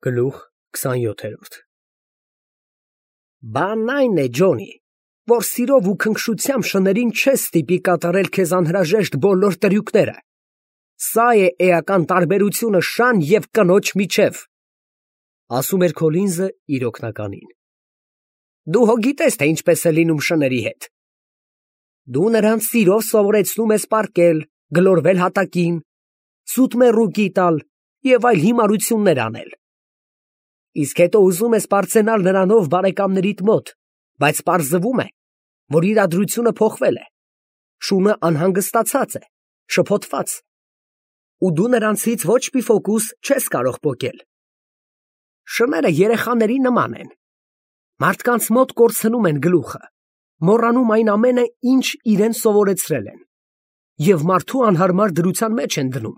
Գլուխ 27 Բանն այն է, Ջոնի, որ սիրով ու քնքշությամբ շներին չես ստիպի կատարել քեզ անհրաժեշտ բոլոր տրյուկները. սա է էական տարբերությունը շան և կնոջ միջև, ասում էր Քոլինզը իր օգնականին։ Դու հո գիտես, թե ինչպես է լինում շների հետ։ Դու նրանց սիրով սովորեցնում ես պառկել, գլորվել հատակին, սուտ մեռուկի տալ և այլ հիմարություններ անել։ Իսկ հետո ուզում ես պարծենալ նրանով բարեկամներիդ մոտ, բայց պարզվում է, որ իրադրությունը փոխվել է, շունը անհանգստացած է, շփոթված, ու դու նրանցից ոչ մի ֆոկուս չես կարող պոկել։ Շները երեխաների նման են, մարդկանց մոտ կորցնում են գլուխը, մոռանում այն ամենը, ինչ իրեն սովորեցրել են, և մարդու անհարմար դրության մեջ են դնում։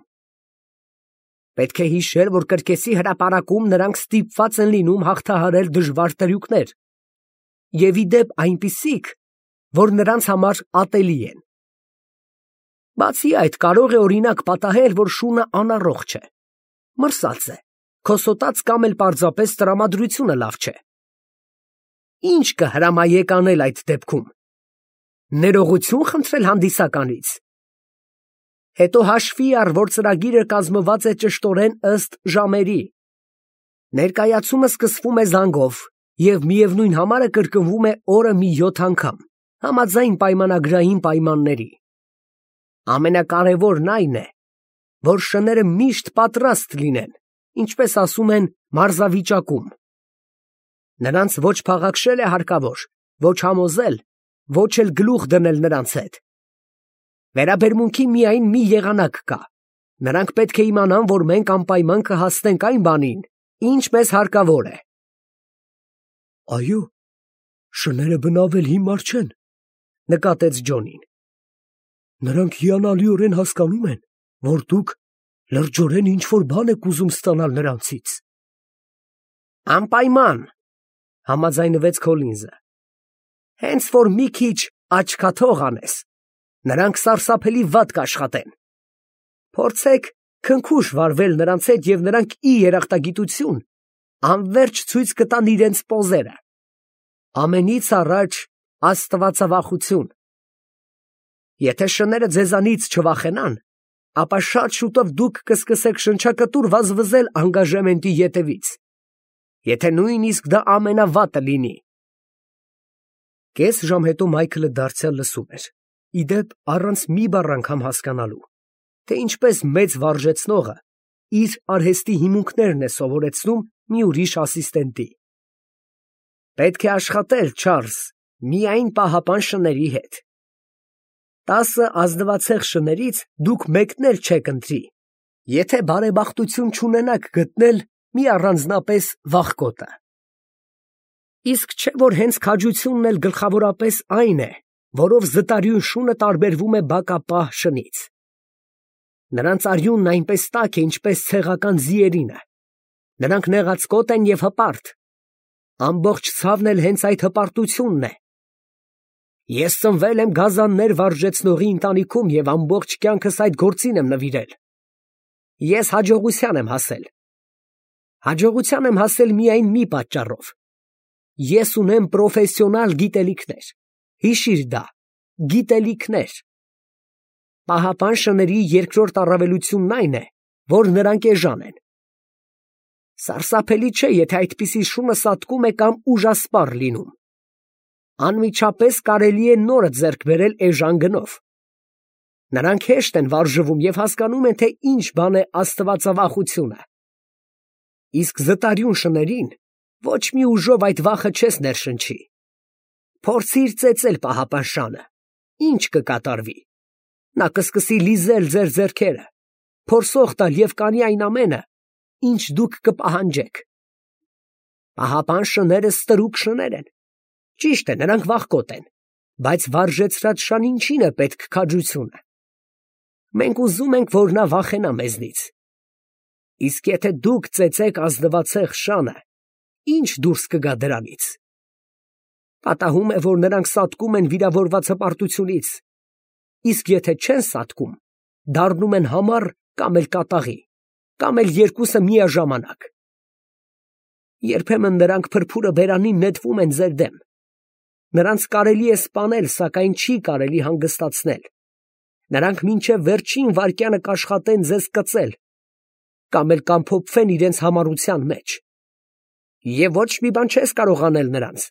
Պետք է հիշել, որ կրկեսի հրապարակում նրանք ստիպված են լինում հաղթահարել դժվար տրյուկներ, և ի դեպ այնպիսիք, որ նրանց համար ատելի են։ Բացի այդ, կարող է օրինակ պատահել, որ շունը անառողջ է, մրսած է, քոսոտած կամ էլ պարզապես տրամադրությունը լավ չէ։ Ինչ կհրամայեք անել այդ դեպքում։ Ներողություն խնդրել հանդիսականից։ Հետո հաշվի առ, որ ծրագիրը կազմված է ճշտորեն ըստ ժամերի։ Ներկայացումը սկսվում է զանգով, և միևնույն համարը կրկնվում է օրը մի 7 անգամ, համաձայն պայմանագրային պայմանների։ Ամենակարևորն այն է, որ շները միշտ պատրաստ լինեն, ինչպես ասում են, մարզավիճակում։ Նրանց ոչ փաղաքշել է հարկավոր, ոչ համոզել, ոչ էլ գլուխ դնել նրանց հետ։ Վերաբերմունքի միայն մի եղանակ կա. նրանք պետք է իմանան, որ մենք անպայման կհասնենք այն բանին, ինչ մեզ հարկավոր է։ Այո, շները բնավել հիմար չեն, նկատեց Ջոնին։ Նրանք հիանալիորեն հասկանում են, որ դուք լրջորեն ինչ-որ բան եք ուզում ստանալ նրանցից։ Անպայման, համաձայնվեց Քոլինզը։ Հենց որ մի քիչ աչքաթող անես, նրանք սարսափելի վատ կաշխատեն։ Փորձեք քնքուշ վարվել նրանց հետ, և նրանք ի երախտագիտություն անվերջ ցույց կտան իրենց պոզերը։ Ամենից առաջ աստվածավախություն։ Եթե շները ձեզանից չվախենան, ապա շատ շուտով դուք կսկսեք շնչակտուր վազվզել անգաժեմենտի ետևից, եթե նույնիսկ դա ամենավատը լինի։ Կես ժամ հետո Մայքլը դարձյալ լսում էր, ի դեպ առանց մի բառ անգամ հասկանալու, թե ինչպես մեծ վարժեցնողը իր արհեստի հիմունքներն է սովորեցնում մի ուրիշ ասիստենտի։ Պետք է աշխատել, Չարլզ, միայն պահապան շների հետ։ 10 ազնվացեղ շներից դուք մեկն էլ չեք ընտրի, եթե բարեբախտություն չունենաք գտնել մի առանձնապես վախկոտը։ Իսկ չէ՞ որ հենց քաջությունն էլ գլխավորապես այն է, որով զտարյուն շունը տարբերվում է բակապահ շնից։ Նրանց արյունն այնպես տաք է, ինչպես ցեղական ձիերինը։ Նրանք նեղացկոտ են և հպարտ։ Ամբողջ ցավն էլ հենց այդ հպարտությունն է։ Ես ծնվել եմ գազաններ վարժեցնողի ընտանիքում և ամբողջ կյանքս այդ գործին եմ նվիրել։ Ես հաջողության եմ հասել։ Հաջողության եմ հասել միայն մի պատճառով. ես ունեմ պրոֆեսիոնալ գիտելիքներ։ Հիշիր դա, գիտելիքներ։ Պահապան շների երկրորդ առավելությունն այն է, որ նրանք էժան են։ Սարսափելի չէ, եթե այդպիսի շունը սատկում է կամ ուժասպառ լինում։ Անմիջապես կարելի է նորը ձեռք բերել էժան գնով։ Նրանք հեշտ են վարժվում և հասկանում են, թե ինչ բան է աստվածավախությունը։ Իսկ զտարյուն շներին ոչ մի ուժով այդ վախը չես ներշնչի։ Փորձիր ծեծել պահապան շանը, ինչ կկատարվի։ Նա կսկսի լիզել ձեր ձեռքերը, փորսող տալ և կանի այն ամենը, ինչ դուք կպահանջեք։ Պահապան շները ստրուկ շներ են։ Ճիշտ է, նրանք վախկոտ են, բայց վարժեցրած շան ինչին է պետք քաջությունը։ Մենք ուզում ենք, որ նա վախենա մեզնից։ Իսկ եթե դուք ծեծեք ազնվացեղ շանը, ի՞նչ դուրս կգա դրանից։ Պատահում է, որ նրանք սատկում են վիրավորված հպարտությունից, իսկ եթե չեն սատկում, դառնում են համառ կամ էլ կատաղի, կամ էլ երկուսը միաժամանակ։ Երբեմն նրանք փրփուրը բերանին նետվում են ձեր դեմ։ Նրանց կարելի է սպանել, սակայն չի կարելի հանգստացնել։ Նրանք մինչև վերջին վայրկյանը կաշխատեն ձեզ կծել, կամ էլ կամփոփվեն իրենց համառության մեջ։ Եվ ոչ մի բան չես կարող անել նրանց։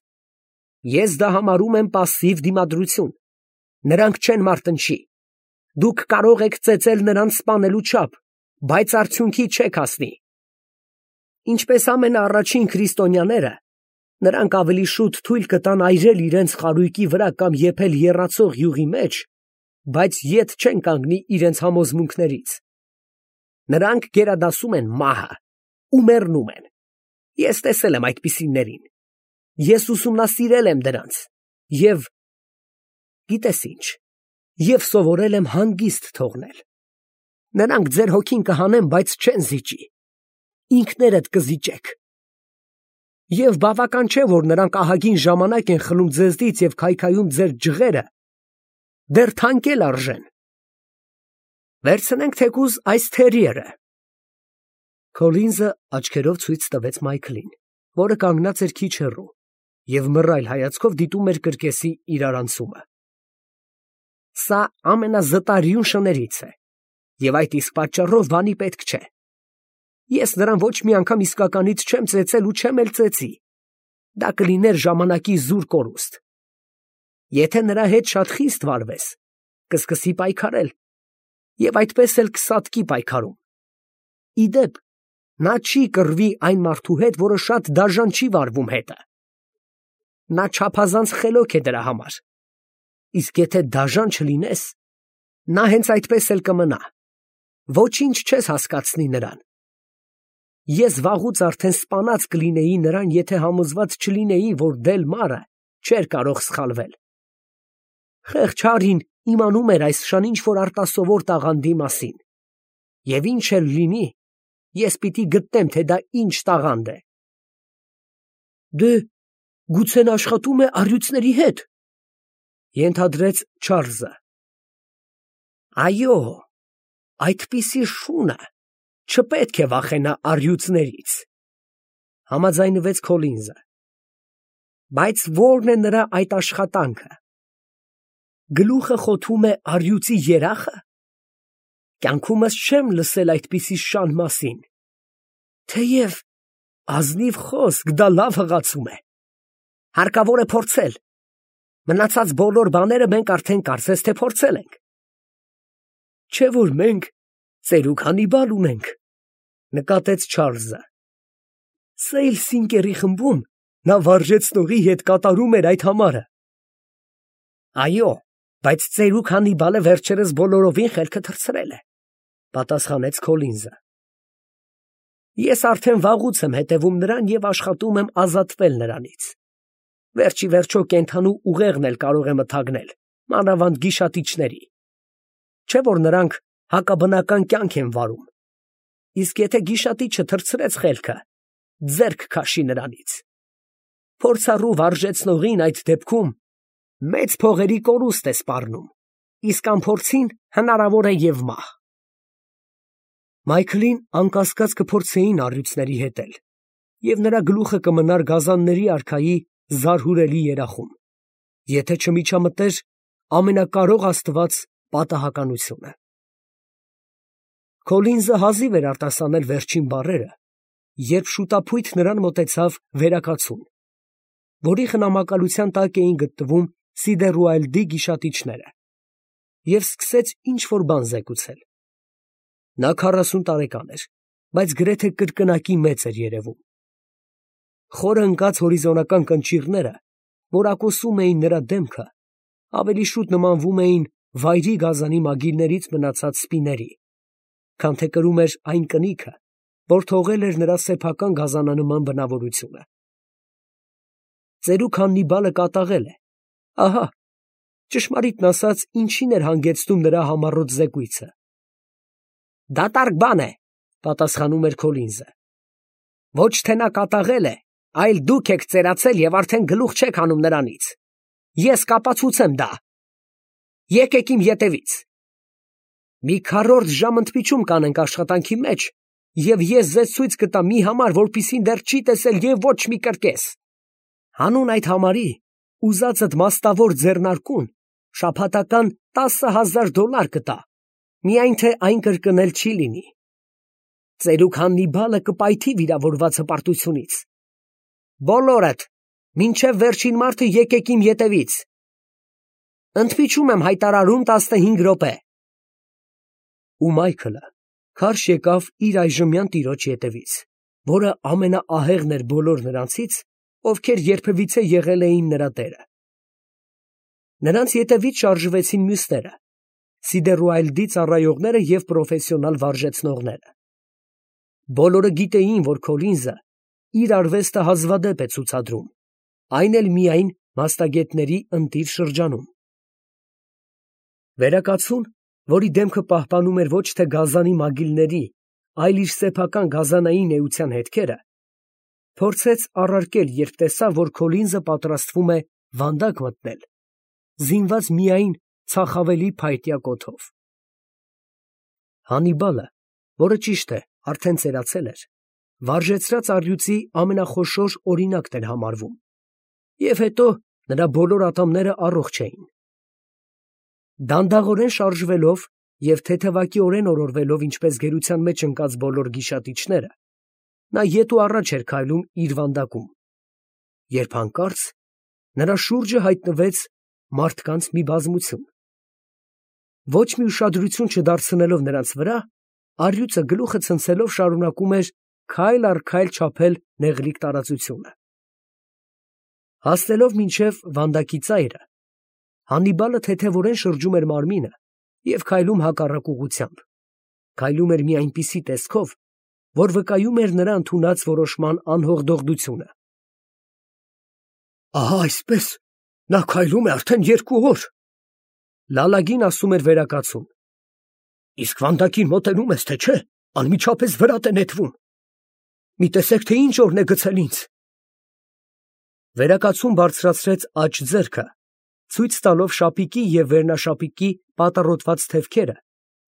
Ես դա համարում եմ պասիվ դիմադրություն։ Նրանք չեն մարտնչի։ Դուք կարող եք ծեծել նրանց սպանելու չափ, բայց արդյունքի չեք հասնի։ Ինչպես ամենաառաջին քրիստոնյաները, նրանք ավելի շուտ թույլ կտան այրել իրենց խարույկի վրա կամ եփել եռացող յուղի մեջ, բայց ետ չեն կանգնի իրենց համոզմունքներից։ Նրանք գերադասում են մահը ու մեռնում են։ Ես տեսել եմ այդպիսիներին։ Ես ուսումնասիրել եմ դրանց և, գիտես ինչ, և սովորել եմ հանգիստ թողնել։ Նրանք ձեր հոգին կհանեն, բայց չեն զիջի։ Ինքներդ կզիջեք։ Եվ բավական չէ, որ նրանք ահագին ժամանակ են խլում ձեզնից և քայքայում ձեր ջղերը, դեռ թանկել արժեն։ Վերցնենք թեկուզ այս թերիերը։ Քոլինզը աչքերով ցույց տվեց Մայքլին, որը կանգնած էր քիչ հեռու և մռայլ հայացքով դիտում էր կրկեսի իրարանցումը։ Սա ամենազտարյուն շներից է, և այդ իսկ պատճառով բանի պետք չէ։ Ես նրան ոչ մի անգամ իսկականից չեմ ծեծել ու չեմ էլ ծեծի։ Դա կլիներ ժամանակի զուր կորուստ։ Եթե նրա հետ շատ խիստ վարվես, կսկսի պայքարել, և այդպես էլ կսատկի պայքարում։ Ի դեպ, նա չի կռվի այն մարդու հետ, որը շատ դաժան չի վարվում հետը։ Նա չափազանց խելոք է դրա համար։ Իսկ եթե դաժան չլինես, նա հենց այդպես էլ կմնա։ Ոչինչ չես հասկացնի նրան։ Ես վաղուց արդեն սպանած կլինեի նրան, եթե համոզված չլինեի, որ Դելմարը չէր կարող սխալվել։ Խեղճ Հարին իմանում էր այս շան ինչ-որ արտասովոր տաղանդի մասին։ Եվ ինչ էլ լինի, ես պիտի գտնեմ, թե դա ինչ տաղանդ է։ Դե, գուցե նա աշխատում է առյուծների հետ, ենթադրեց Չարլզը։ Այո, այդպիսի շունը չպետք է վախենա առյուծներից, համաձայնվեց Քոլինզը։ Բայց ո՞րն է նրա այդ աշխատանքը։ Գլուխը խոթում է առյուծի երախը։ Կյանքումս չեմ լսել այդպիսի շան մասին։ Թեև ազնիվ խոսք, դա լավ հղացում է։ Հարկավոր է փորձել։ Մնացած բոլոր բաները մենք արդեն կարծես թե փորձել ենք։ Չէ՞ որ մենք ծերուկ Հանիբալ ունենք, նկատեց Չարլզը։ Սեյլ Սինկերի խմբում նա վարժեցնողի հետ կատարում էր այդ համարը։ Այո, բայց ծերուկ Հանիբալը վերջերս բոլորովին խելքը թռցրել է, պատասխանեց Քոլինզը։ Ես արդեն վաղուց եմ հետևում նրան և աշխատում եմ ազատվել նրանից։ Վերջի վերջո կենդանու ուղեղն էլ կարող է մթագնել, մանավանդ գիշատիչների։ Չէ՞ որ նրանք հակաբնական կյանք են վարում։ Իսկ եթե գիշատիչը թռցրեց խելքը, ձեռք քաշի նրանից։ Փորձառու վարժեցնողին այդ դեպքում մեծ փողերի կորուստ է սպառնում, իսկ անփորձին հնարավոր է և մահ։ Մայքլին անկասկած կփորձեին առյուծների հետել, և նրա գլուխը կմնար գազանների արքայի զարհուրելի երախում, եթե չմիջամտեր ամենակարող Աստված պատահականությունը։ Քոլինզը հազիվ էր արտասանել վերջին բառերը, երբ շուտափույթ նրան մոտեցավ վերակացուն, որի խնամակալության տակ էին գտնվում Սիդերուայլդի գիշատիչները, և սկսեց ինչ֊որ բան զեկուցել։ Նա 40 տարեկան էր, բայց գրեթե կրկնակի մեծ էր երևում։ Խորը ընկած հորիզոնական կնճիռները, որ ակոսում էին նրա դեմքը, ավելի շուտ նմանվում էին վայրի գազանի մագիլներից մնացած սպիների, քան թե կրում էր այն կնիքը, որ թողել էր նրա սեփական գազանանման բնավորությունը։ Ծերուկ Հաննիբալը կատաղել է։ Ահա, ճշմարիտն ասած, ինչին էր հանգեցնում նրա համառոտ զեկույցը։ Դատարկ բան է, պատասխանում էր Քոլինզը։ Ոչ թե նա կատաղել է, այլ դուք եք ծերացել և արդեն գլուխ չեք հանում նրանից։ Ես կապացուցեմ դա։ Եկեք իմ ետևից։ Մի քառորդ ժամ ընդմիջում կանենք աշխատանքի մեջ և ես ձեզ ցույց կտամ մի համար, որպիսին դեռ չի տեսել և ոչ մի կրկես։ Հանուն այդ համարի ուզածդ մաստավոր ձեռնարկուն շաբաթական $10,000 կտա, միայն թե այն կրկնել չի լինի։ Ծերուկ Հաննիբալը կպայթի վիրավորված հպարտությունից։ Բոլորդ, մինչև վերջին մարդը եկեք իմ ետևից։ Ընդմիջում եմ հայտարարում 15 րոպե։ Ու Մայքլը քարշ եկավ իր այժմյան տիրոջ ետևից, որը ամենաահեղն էր բոլոր նրանցից, ովքեր երբևիցե եղել էին նրա տերը։ Նրանց ետևից շարժվեցին մյուսները, Սիդերուայլդի ծառայողները և պրոֆեսիոնալ վարժեցնողները։ Բոլորը գիտեին, որ Քոլինզը իր արվեստը հազվադեպ է ցուցադրում, այն էլ միայն մասնագետների ընտիր շրջանում։ Վերակացուն, որի դեմքը պահպանում էր ոչ թե գազանի մագիլների, այլ իր սեփական գազանային էության հետքերը, փորձեց առարկել, երբ տեսավ, որ Քոլինզը պատրաստվում է վանդակ մտնել, զինված միայն ցախավելի փայտյա կոթով։ Հաննիբալը, որը ճիշտ է, արդեն ծերացել էր, վարժեցրած առյուծի ամենախոշոր օրինակն էր համարվում, և հետո նրա բոլոր ատամները առողջ էին։ Դանդաղորեն շարժվելով և թեթևակիորեն օրորվելով, ինչպես գերության մեջ ընկած բոլոր գիշատիչները, նա ետ ու առաջ էր քայլում իր վանդակում, երբ հանկարծ նրա շուրջը հայտնվեց մարդկանց մի բազմություն։ Ոչ մի ուշադրություն չդարձնելով նրանց վրա, առյուծը գլուխը ցնցելով շարունակում էր քայլ առ քայլ չափել նեղլիկ տարածությունը։ Հասնելով մինչև վանդակի ծայրը, Հաննիբալը թեթևորեն շրջում էր մարմինը և քայլում հակառակ ուղղությամբ, քայլում էր մի այնպիսի տեսքով, որ վկայում էր նրա ընդունած որոշման անհողդողդությունը։ Ահա այսպես նա քայլում է արդեն 2 օր, լալագին ասում էր վերակացուն։ Իսկ վանդակին մոտենում ես, թե չէ, անմիջապես վրատ է նետվում։ Մի տեսեք, թե ինչ օրն է գցել ինձ։ Վերակացուն բարձրացրեց աջ ձեռքը, ցույց տալով շապիկի և վերնաշապիկի պատառոտված թևքերը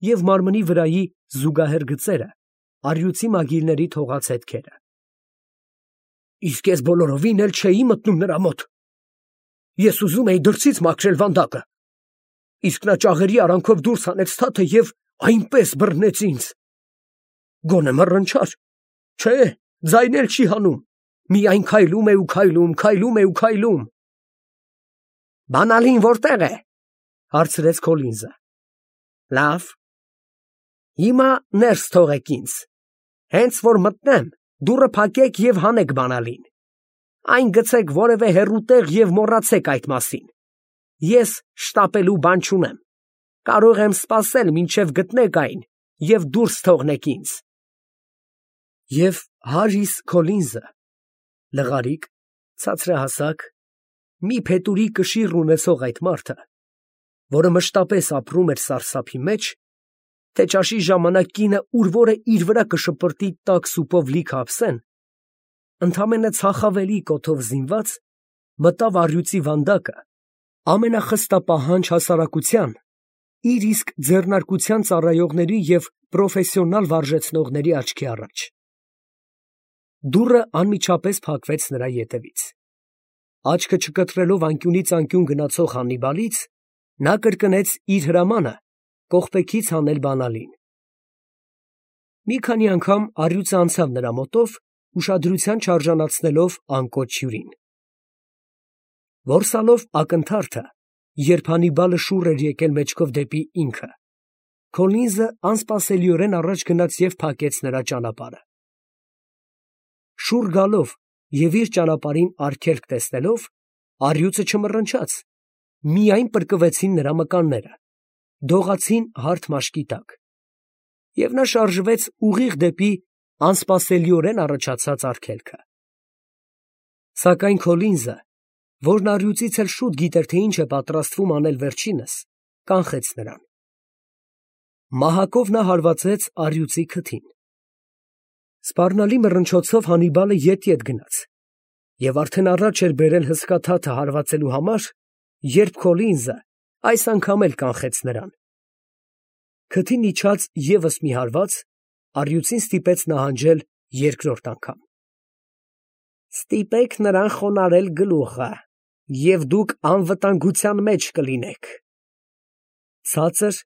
և մարմնի վրայի զուգահեռ գծերը, առյուծի մագիլների թողած հետքերը։ Իսկ ես բոլորովին էլ չէի մտնում նրա մոտ։ Ես ուզում էի դրսից մաքրել վանդակը, իսկ նա ճաղերի արանքով դուրս հանեց թաթը և այնպես բռնեց ինձ։ Գոնե մռնչար, չէ, ձայն էլ չի հանում, միայն քայլում է ու քայլում, քայլում է ու քայլում։ Բանալին որտե՞ղ է, հարցրեց Քոլինզը։ Լավ, հիմա ներս թողեք ինձ, հենց որ մտնեմ, դուռը փակեք և հանեք բանալին, այն գցեք որևէ հեռու տեղ և մոռացեք այդ մասին։ Ես շտապելու բան չունեմ, կարող եմ սպասել, մինչև գտնեք այն և դուրս թողնեք ինձ։ Եվ Հարրիս Քոլինզը, լղարիկ, ցածրահասակ, մի փետուրի կշիռ ունեցող այդ մարդը, որը մշտապես ապրում էր սարսափի մեջ, թե ճաշի ժամանակ կինը ուր որը իր վրա կշպրտի տաք սուպով լիքը ափսեն, ընդամենը ցախավելի կոթով զինված, մտավ առյուծի վանդակը ամենախստապահանջ հասարակության, իր իսկ ձեռնարկության ծառայողների և պրոֆեսիոնալ վարժեցնողների աչքի առաջ։ Դուռը անմիջապես փակվեց նրա ետևից։ Աչքը չկտրելով անկյունից անկյուն գնացող Հաննիբալից, նա կրկնեց իր հրամանը կողպեքից հանել բանալին։ Մի քանի անգամ առյուծը անցավ նրա մոտով, ուշադրության չարժանացնելով անկոչ հյուրին։ Որսալով ակնթարթը, երբ Հաննիբալը շուռ էր եկել մեջքով դեպի ինքը, Քոլինզը անսպասելիորեն առաջ գնաց և փակեց նրա ճանապարհը։ Շուռ գալով և իր ճանապարհին արգելք տեսնելով, առյուծը չմռնչաց, միայն պրկվեցին նրա մկանները, դողացին հարթ մաշկի տակ, և նա շարժվեց ուղիղ դեպի անսպասելիորեն առաջացած արգելքը։ Սակայն Քոլինզը, որն առյուծից էլ շուտ գիտեր, թե ինչ է պատրաստվում անել վերջինս, կանխեց նրան։ Մահակով նա հարվածեց առյուծի քթին։ Սպառնալի մռնչոցով Հաննիբալը ետ գնաց և արդեն առաջ էր բերել հսկա թաթը հարվածելու համար, երբ Քոլինզը այս անգամ էլ կանխեց նրան։ Քթին իջաց ևս մի հարված, առյուծին ստիպեց նահանջել երկրորդ անգամ։ Ստիպեք նրան խոնարհել գլուխը, և դուք անվտանգության մեջ կլինեք։ Ցածր,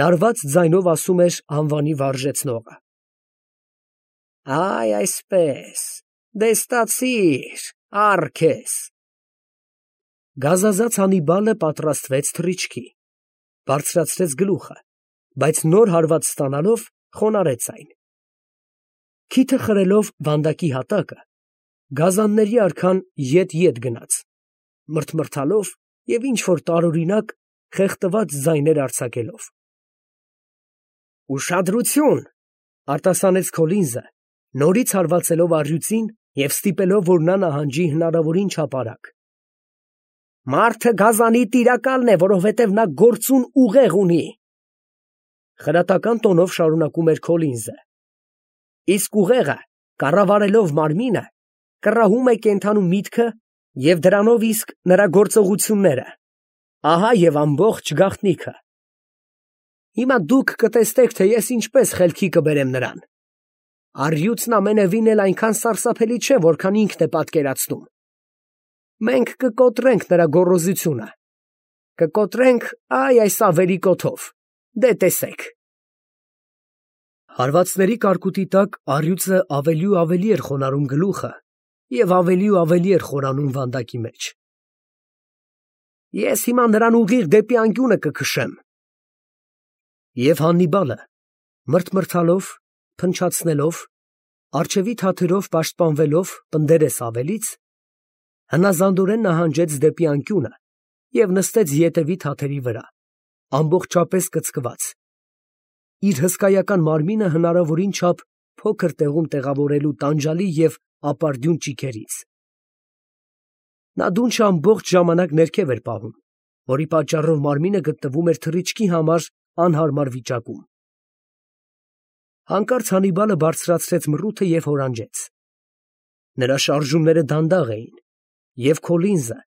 լարված ձայնով ասում էր անվանի վարժեցնողը։ Այ այսպես, դե ստացիր, առ քեզ։ Գազազած Հաննիբալը պատրաստվեց թռիչքի, բարձրացրեց գլուխը, բայց նոր հարված ստանալով խոնարհեց այն։ Քիթը խրելով վանդակի հատակը, գազանների արքան ետ գնաց, մրթմրթալով և ինչ-որ տարօրինակ խեղդված ձայներ արձակելով։ Ուշադրություն, արտասանեց Քոլինզը, նորից հարվածելով առյուծին և ստիպելով, որ նա նահանջի հնարավորին չափ արագ։ Մարդը գազանի տիրակալն է, որովհետև նա գործուն ուղեղ ունի։ Խրատական տոնով շարունակում էր Քոլինզը։ Իսկ ուղեղը, կառավարելով մարմինը, կռահում է կենդանու միտքը և դրանով իսկ նրա գործողությունները։ Ահա և ամբողջ գաղտնիքը։ Հիմա դուք կտեսնեք, թե ես ինչպես խելքի կբերեմ նրան։ Առյուծն ամենևին էլ այնքան սարսափելի չէ, որքան ինքն է պատկերացնում։ Մենք կկոտրենք նրա գոռոզությունը։ Կկոտրենք այս ավերիկոթով։ Դե տեսեք։ Հարվածների կարկուտի տակ առյուծը ավելի ու ավելի էր խոնարհում գլուխը և ավելի ու ավելի էր խորանում վանդակի մեջ։ Ես հիմա նրան ուղիղ դեպի անկյունը կքշեմ։ Եվ Հաննիբալը, մրթմրթալով, փնչացնելով, առջևի թաթերով պաշտպանվելով պնդերես ավելից, հնազանդորեն նահանջեց դեպի անկյունը և նստեց ետևի թաթերի վրա, ամբողջապես կծկված, իր հսկայական մարմինը հնարավորին չափ փոքր տեղում տեղավորելու տանջալի և ապարդյուն ճիգերից։ Նա դունչը ամբողջ ժամանակ ներքև էր պահում, որի պատճառով մարմինը գտնվում էր թռիչքի համար անհարմար վիճակում։ Հանկարծ Հաննիբալը բարձրացրեց մռութը և հորանջեց։ Նրա շարժումները դանդաղ էին, և Քոլինզը,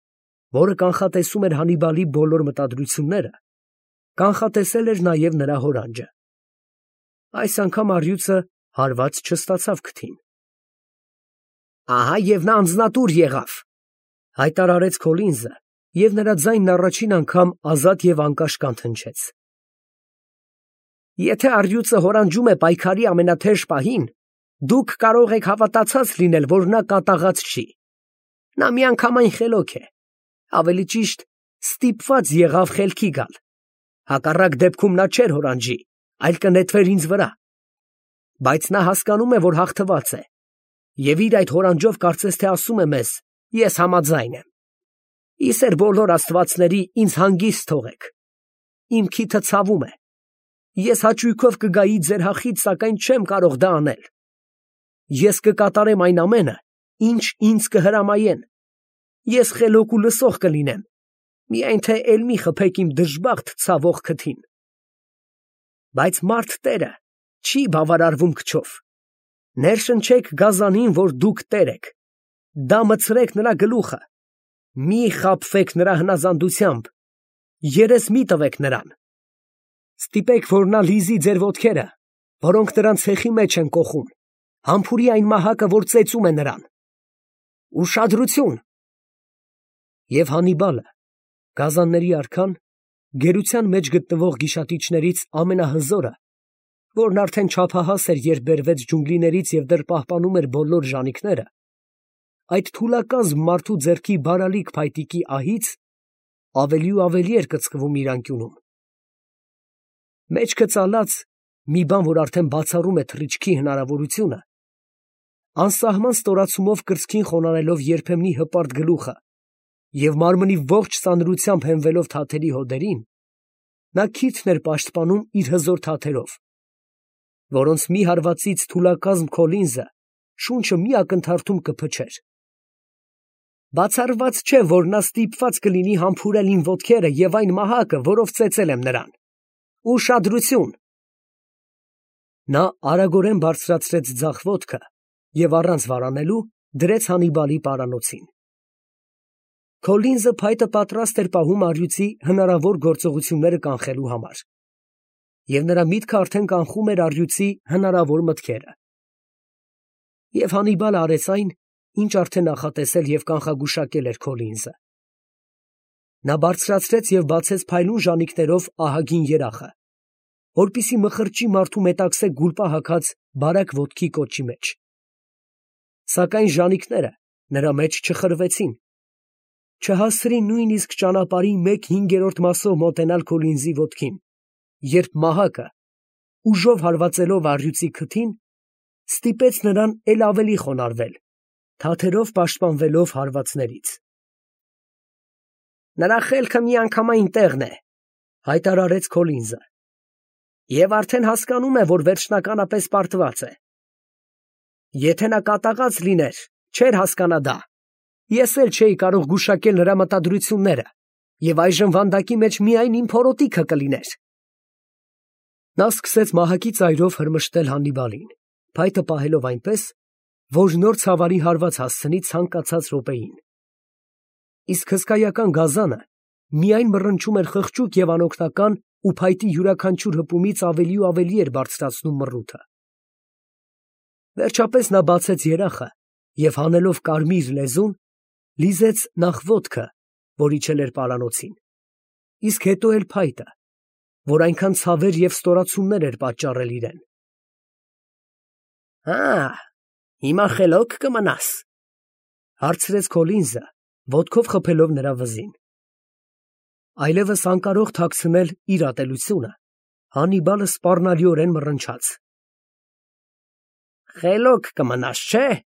որը կանխատեսում էր Հաննիբալի բոլոր մտադրությունները, կանխատեսել էր նաև նրա հորանջը։ Այս անգամ առյուծը հարված չստացավ քթին։ Ահա և նա անձնատուր եղավ, հայտարարեց Քոլինզը, և նրա ձայնն առաջին անգամ ազատ և անկաշկանդ հնչեց։ Եթե առյուծը հորանջում է պայքարի ամենաթեժ պահին, դուք կարող եք հավատացած լինել, որ նա կատաղած չի։ Նա միանգամայն խելոք է, ավելի ճիշտ, ստիպված եղավ խելքի գալ։ Հակառակ դեպքում նա չէր հորանջի, այլ կնետվեր ինձ վրա։ Բայց նա հասկանում է, որ հաղթված է, և իր այդ հորանջով կարծես թե ասում է մեզ. ես համաձայն եմ։ Ի սեր բոլոր աստվածների, ինձ հանգիստ թողեք։ Իմ քիթը ցավում է։ Ես հաճույքով կգայի ձեր հախից, սակայն չեմ կարող դա անել։ Ես կկատարեմ այն ամենը, ինչ ինձ կհրամայեն։ Ես խելոք ու լսող կլինեմ, միայն թե էլ մի խփեք իմ դժբախտ ցավող քթին։ Բայց մարդ տերը չի բավարարվում քչով։ Ներշնչեք գազանին, որ դուք տեր եք, դա մտցրեք նրա գլուխը, մի խաբվեք նրա հնազանդությամբ, երես մի տվեք նրան։ Ստիպեք, որ նա լիզի ձեր ոտքերը, որոնք նրան ցեխի մեջ են կոխում, համբուրի այն մահակը, որ ծեծում է նրան։ Ուշադրություն։ Եվ Հաննիբալը, գազանների արքան, գերության մեջ գտնվող գիշատիչներից ամենահզորը, որն արդեն չափահաս էր, երբ բերվեց ջունգլիներից և դեռ պահպանում էր բոլոր ժանիքները, այդ թուլակազմ մարդու ձեռքի բարալիկ փայտիկի ահից ավելի ու ավելի էր կծկվում իր անկյունում։ Մեջքը ծալած մի բան, որ արդեն բացառում է թռիչքի հնարավորությունը, անսահման ստորացումով կրծքին խոնարհելով երբեմնի հպարտ գլուխը և մարմնի ողջ ծանրությամբ հենվելով թաթերի հոդերին, նա քիթն էր պաշտպանում իր հզոր թաթերով, որոնց մի հարվածից թուլակազմ Քոլինզը շունչը մի ակնթարթում կփչեր։ Բացառված չէ, որ նա ստիպված կլինի համբուրել իմ ոտքերը և այն մահակը, որով ծեծել եմ նրան։ Ուշադրություն։ Նա արագորեն բարձրացրեց ձախ ոտքը և առանց վարանելու դրեց Հաննիբալի պարանոցին։ Քոլինզը փայտը պատրաստ էր պահում առյուծի հնարավոր գործողությունները կանխելու համար։ և նրա միտքը արդեն կանխում էր առյուծի հնարավոր մտքերը։ Եվ Հաննիբալը արեց այն, ինչ արդեն նախատեսել և կանխագուշակել էր Քոլինզը։ Նա բարձրացրեց և բացեց փայլուն ժանիքներով ահագին երախը, որպեսզի մխրճի մարդու մետաքսե գուլպա հագած բարակ ոտքի կոճի մեջ։ Սակայն ժանիքները նրա մեջ չխրվեցին, չհասցրին նույնիսկ ճանապարհի 1/5 մասով մոտենալ Քոլինզի ոտքին, երբ մահակը, ուժով հարվածելով առյուծի քթին, ստիպեց նրան էլ ավելի խոնարհվել, թաթերով պաշտպանվելով հարվածներից։ «Նրա խելքը միանգամայն տեղն է», հայտարարեց Քոլինզը, «և արդեն հասկանում է, որ վերջնականապես պարտված է։ Եթե նա կատաղած լիներ, չէր հասկանա դա, ես էլ չէի կարող գուշակել նրա մտադրությունները, և այժմ վանդակի մեջ միայն իմ փորոտիքը կլիներ»։ Նա սկսեց մահակի ծայրով հրմշտել Հաննիբալին, փայտը պահելով այնպես, որ նոր ցավարի հարված հասցնի ցանկացած րոպեին։ Իսկ հսկայական գազանը միայն մռնչում էր խղճուկ և անօգնական ու փայտի յուրաքանչյուր հպումից ավելի ու ավելի էր բարձրացնում մռութը։ Վերջապես նա բացեց երախը և հանելով կարմիր լեզուն, լիզեց նախ ոտքը, որ իջել էր պարանոցին, իսկ հետո էլ փայտը, որ այնքան ցավեր և ստորացումներ էր պատճառել իրան։ «Հա, հիմա խելոք կմնաս», ֊ հարցրեց Քոլինզը, ոտքով խփելով նրա վզին։ Այլևս անկարող թաքցնել իր ատելությունը, Հաննիբալը սպառնալիորեն մռնչաց։ «Խելոք կմնաս, չէ՞, ֊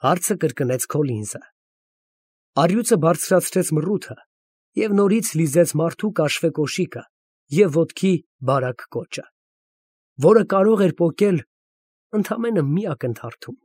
հարցը կրկնեց Քոլինզը։ Առյուծը բարձրացրեց մռութը և նորից լիզեց մարդու կաշվե կոշիկը և ոտքի բարակ կոճը, որը կարող էր պոկել ընդամենը մի ակնթարթում։